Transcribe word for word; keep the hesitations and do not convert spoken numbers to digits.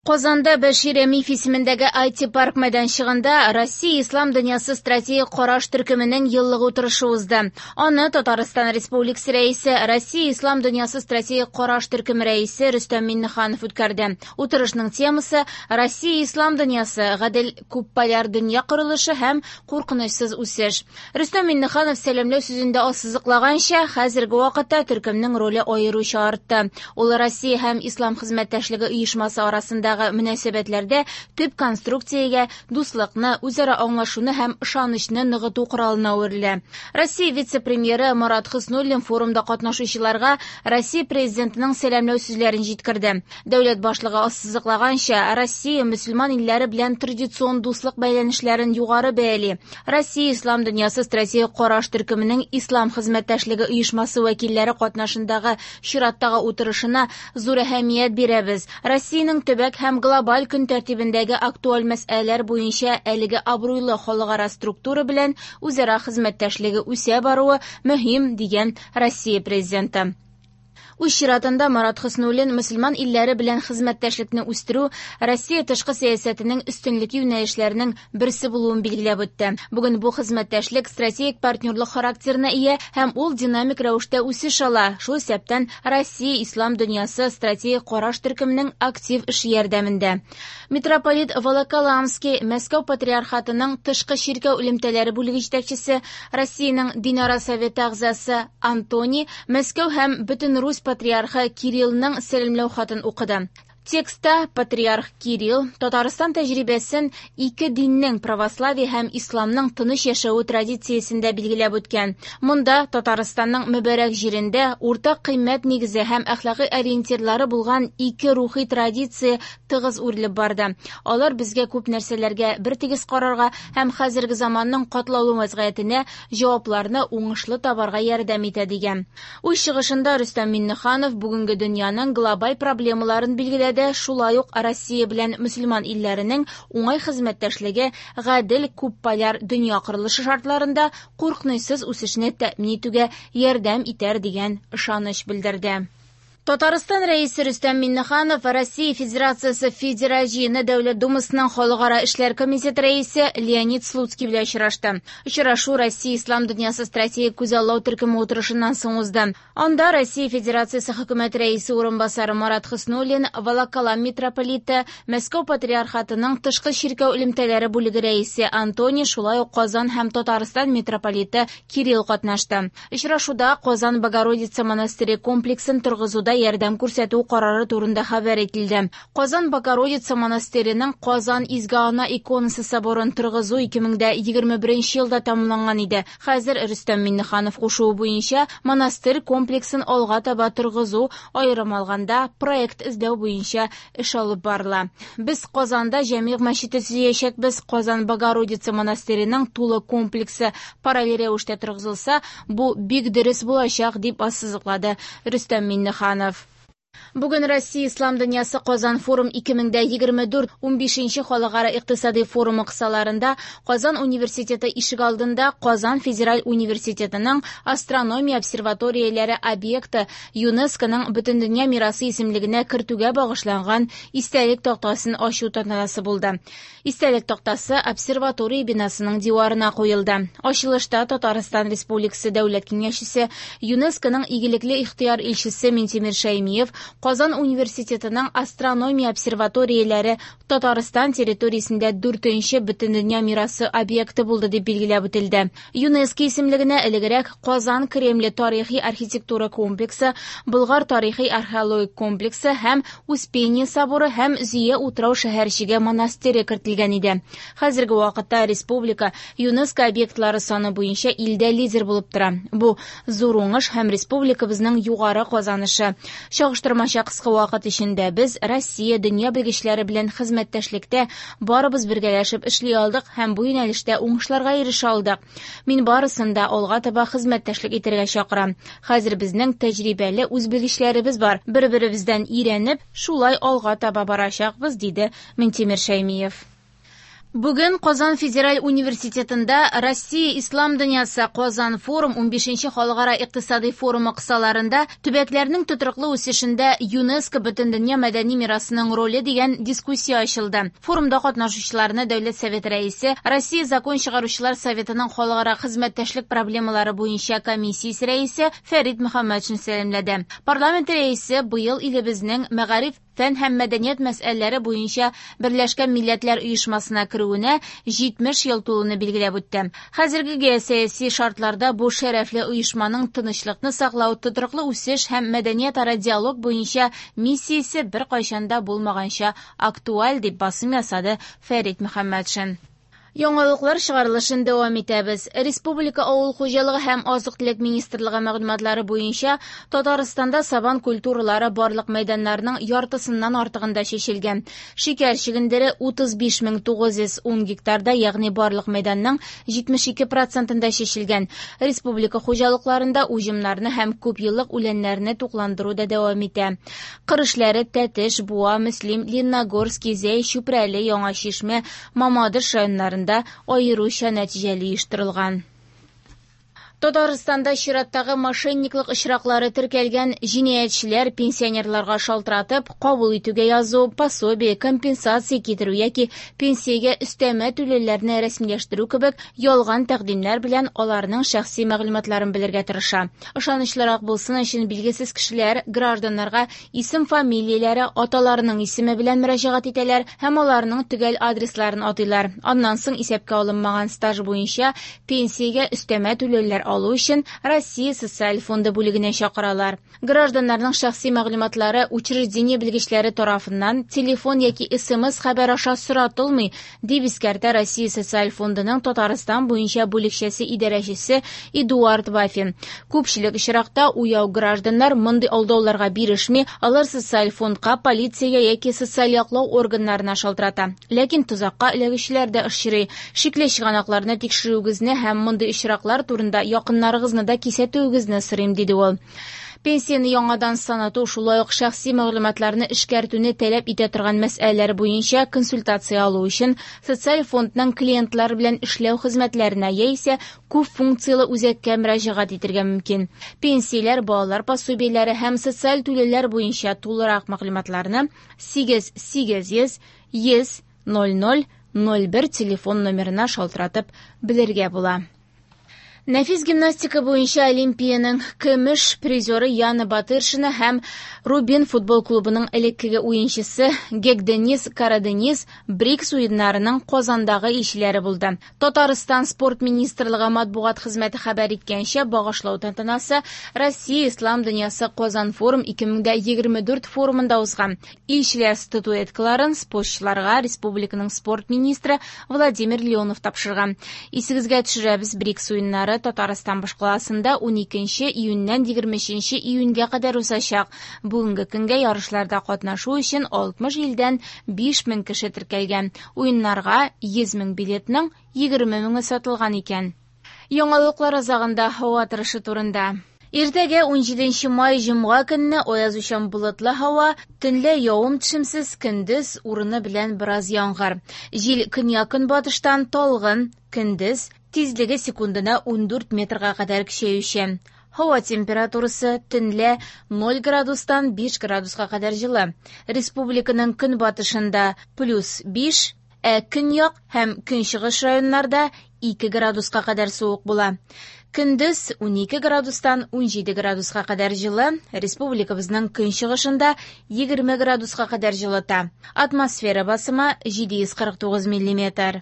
Казанда Бәшир Рәмиев исемендәге ай ти-парк мәйданчыгында Россия Ислам дөньясы стратегик караш төркеменең еллык утырышы узды. Аны Татарстан Республикасы рәисе, Россия Ислам дөньясы стратегик караш төркеме рәисе Рөстәм Миңнеханов үткәрде. Утырышның темасы Россия Ислам дөньясы, гадел күпполяр дөнья корылышы һәм куркынычсыз үсеш. Рөстәм Миңнеханов сәламләү сүзендә ассызыклаганча, хәзерге вакытта төркемнең роле аеруча артты. Ул Россия һәм Ислам хезмәттәшлеге оешмасы арасындагы мөнәсәбәтләрдә төп конструкциягә дуслыкны, үзара аңлашуны һәм ышанычны ныгыту коралына әверелә. Россия вице-премьеры Марат Хөснуллин форумда катнашучыларга Россия президентының сәламләү сүзләрен җиткерде. Дәүләт башлыгы ассызыклаганча, Россия мөселман илләре белән традицион дуслык бәйләнешләрен югары бәяли. Россия Ислам дөньясы стратегик караш төркеменең Ислам хезмәттәшлеге оешмасы вәкилләре катнашындагы чираттагы утырышына зур әһәмият бирәбез. Россиянең төбәк һәм глобаль көн тәртибендәге актуаль мәсьәләләр буенча әлеге абруйлы халыкара структура белән үзара хезмәттәшлеге үсә баруы мөһим, дигән Россия президенты. Үз чиратында Марат Хөснуллин мөселман илләре белән хезмәттәшлекне үстерү Россия тышкы сәясәтенең өстенлек юнәлешләренең берсе булуын билгеләп үтте. Бүген бу хезмәттәшлек стратегик партнерлык характерына ия һәм ул динамик рәвештә үсеш ала. Шул исәптән Россия Ислам дөньясы стратегик караш төркеменең актив эше ярдәмендә. Митрополит Волоколамский, Мәскәү патриархатының тышкы чиркәү элемтәләре бүлеге җитәкчесе, Россиянең Динара советы әгъзасы Антоний, Мәскәү һәм бөтен Русь патриархы Кириллның сәламләү хатын укыды. Текста патриарх Кирилл Татарстан тәҗрибәсен ике диннең православие һәм исламның тыныч яшәве традициясендә билгеләп үткән. Монда Татарстанның мөбарәк җирендә уртак кыйммәт нигезе һәм әхлакый ориентирлары булган ике рухи традиция тыгыз үрелеп барды. Алар безгә күп нәрсәләргә бертигез карарга һәм хәзерге заманның катлаулы вазгыятенә җавапларны уңышлы табарга ярдәм итә, дигән. Үз чыгышында Рөстәм Миңнеханов бүгенге дөньяның глобаль проблемаларын билгеләде. Шулай ук Россия белән мөселман илләренең уңай хезмәттәшлеге гадел күпполяр дөнья корылышы шартларында куркынычсыз үсешне тәэмин итүгә ярдәм итәр дигән ышаныч белдерде. Татарстан рәисе Рөстәм Миңнеханов Россия Федерациясе Федераль җыены Дәүләт Думасының Халыкара эшләр комитеты рәисе Леонид Слуцкий белән очрашты. Очрашу Россия Ислам дөньясы стратегик күзаллау төркеме утырышыннан соң узды. Анда Россия Федерациясе хөкүмәт рәисе урынбасары Марат Хөснуллин, Волоколам митрополиты, Мәскәү патриархатының тышкы чиркәү элемтәләре бүлеге рәисе Антоний, шулай ук Казан һәм Татарстан митрополиты Кирилл катнашты. Очрашуда Казан Богородица монастыре комплексын торгызуда ярдәм күрсәтү карары турында хәбәр ителде. Казан Богородица монастыреның Казан Изге Ана иконасы соборын торгызу ике мең дә егерме беренче елда тәмамланган иде. Хәзер Рөстәм Миңнеханов кушуы буенча монастырь комплексын алга таба торгызу, аерым алганда проект эзләү буенча эш алып барыла. Без Казанда Җәмигъ мәчете төзиячәкбез. Казан Богородица монастыреның тулы комплексы параллель рәвештә торгызылса, бу бик дөрес булачак, дип ассызыклады Рөстәм Миңнеханов. Бүген Россия Ислам дөньясы Казан форум ике мең дә егерме дүрт унбишенче халыкара икътисади форумы кысаларында Казан университеты ишек алдында Казан федераль университетының астрономия обсерваторияләре объекты ЮНЕСКОның Бөтендөнья мирасы исемлегенә кертүгә багышланган истәлек тактасын ачу тантанасы булды. Истәлек тактасы обсерватория бинасының диварына куелды. Ачылышта Татарстан Республикасы Дәүләт Киңәшчесе, ЮНЕСКОның игелекле ихтыяр илчесе Минтимер Шәймиев Казан университетының астрономия обсерваторияләре Татарстан территориясендә дүртенче Бөтендөнья мирасы объекты булды дип билгеләп үтелде. ЮНЕСКО исемлегенә элегрәк Казан Кремле тарихи архитектура комплексы, Болгар тарихи археологик комплексы һәм Успение соборы һәм Зөя утрау шәһәрчеге монастыре кертелгән иде. Хәзерге вакытта республика ЮНЕСКО объектлары саны буенча илдә лидер булып тора. Бу зур уңыш һәм республикабызның югары казанышы. Чагыштырмача кыска вакыт эчендә без Россия дөнья белгечләре белән хезмәттәшлектә барыбыз бергәләшеп эшли алдык һәм бу юнәлештә уңышларга ирешә алдык. Мин барысын да алга таба хезмәттәшлек итәргә чакырам. Хәзер безнең тәҗрибәле үз белгечләребез бар. Бер-беребездән өйрәнеп, шулай алга таба барачакбыз, диде Минтимер Шәймиев. Бүген Казан федераль университетында Россия Ислам дөньясы Казан форум унбишенче халыкара икътисади форумы кысаларында төбәкләрнең тотрыклы үсешендә ЮНЕСКО Бөтендөнья мәдәни мирасының роле дигән дискуссия ачылды. Форумда катнашучыларны Дәүләт Советы рәисе, Россия закон чыгаручылар советының халыкара хезмәттәшлек проблемалары буенча комиссиясе рәисе Фәрит Мөхәммәтшин сәламләде. Парламент рәисе быел илебезнең мәгариф, фән һәм мәдәният мәсьәләләре буенча Берләшкән Милләтләр Оешмасына керүенә җитмеш ел тулуны билгеләп үтте. Хәзерге геосәяси шартларда бу шәрәфле оешманың тынычлыкны саклау, тотрыклы үсеш һәм мәдәниятара диалог буенча миссиясе беркайчан да булмаганча актуаль, дип басым ясады Фәрит Мөхәммәтшин. Яңалыклар чыгарылышын дәвам итәбез. Республика авыл хуҗалыгы һәм азык-төлек министрлыгы мәгълүматлары буенча Татарстанда сабан культуралары барлык мәйданнарның яртысыннан артыгында чәчелгән. Шикәр чөгендере утыз биш мең тугыз йөз ун гектарда, ягъни барлык мәйданның җитмеш ике процентында чәчелгән. Республика хуҗалыкларында уҗымнарны һәм күпьеллык үләннәрне тукландыру да дәвам итә. Кыр эшләре Тәтеш, Буа, Мөслим, Лениногорск, Зәй, Чүпрәле, Яңа Чишмә, Мамадыш районнарында аеруча нәтиҗәле оештырылган. Татарстанда чираттагы мошенниклык очраклары теркәлгән. Җинаятьчеләр пенсионерларга шалтыратып, кабул итүгә язу, пособие, компенсация китерү яки пенсиягә өстәмә түләүләрне рәсмиләштерү кебек ялган тәкъдимнәр белән аларның шәхси мәгълүматларын белергә тырыша. Ышанычлырак булсын өчен билгесез кешеләр гражданнарга исем-фамилияләре, аталарының исеме белән мөрәҗәгать итәләр һәм аларның төгәл адресларын атыйлар. Аннан соң исәпкә алынмаган стаж буенча пенсиягә өстәмә түләүләр алу өчен Россия социаль фонды бүлегенә чакыралар. Гражданнарның шәхси мәгълүматлары учреждение белгечләре тарафыннан телефон яки эс эм эс хәбәр аша соратылмый, дип искәртә Россия социаль фондының Татарстан буенча бүлекчәсе идарәчесе Эдуард Вафин. Күпчелек очракта уяу гражданнар мондый алдауларга бирешми, алар социаль фондка, полициягә яки социаль яклау органнарына шалтырата. Ләкин тозакка эләгүчеләр дә очрый. Шикле чыганакларны тикшерүегезне һәм мондый очраклар турында якыннарыгызны да кисәтүегезне сорыйм, диде ул. Пенсияне яңадан санату, шулай ук шәхси мәгълүматларны эшкәртүне таләп итә торган мәсьәләләр буенча консультация алу өчен социаль фондның клиентлар белән эшләү хезмәтләренә яисә күп функцияле үзәккә мөрәҗәгать итәргә мөмкин. Пенсияләр, балалар пособиеләре һәм социаль түләүләр буенча тулырак мәгълүматларны сигез сигез йөз йөз ноль ноль ноль бер телефон номерына шалтыратып белергә була. Нәфис гимнастика буенча Олимпиянең көмеш призеры Яна Батыршина һәм Рубин футбол клубының элеккеге уенчысы Гекдениз Карадениз БРИКС уеннарының Казандагы илчеләре булды. Татарстан спорт министрлыгы матбугат хезмәте хәбәр иткәнчә, багышлау тантанасы Россия Ислам дөньясы Казан форум ике мең дә егерме дүрт форумында узган. Илчеләр статуэткаларын спортчыларга республиканың спорт министры Владимир Леонов тапшырган. Исегезгә төшерәбез, БРИКС уеннары Татарстан башкаласында ун икенче июньнән егерме өченче июньгә кадәр узачак. Бүгенге көнгә ярышларда катнашу өчен алтмыш илдән биш мең кеше теркәлгән. Уеннарга йөз мең билетның егерме меңе сатылган икән. Яңалыклар азагында һава торышы турында. Иртәгә ун җиденче май җомга көнне аязучан болытлы һава, төнлә явым-төшемсез, көндез урыны белән бераз яңгыр. Җил көньяк-көнбатыштан талгын, көндез тизлеге секундына ун дүрт метрга кадәр көчәючән. Һава температурасы төнлә ноль градустан биш градуска кадәр җылы. Республиканың көнбатышында плюс биш, ә көньяк һәм көнчыгыш районнарда ике градуска кадәр суык була. Көндез ун ике градустан ун җиде градуска кадәр җылы, республикабызның көнчыгышында егерме градуска кадәр җылыта. Атмосфера басымы җиде йөз кырык тугыз миллиметр.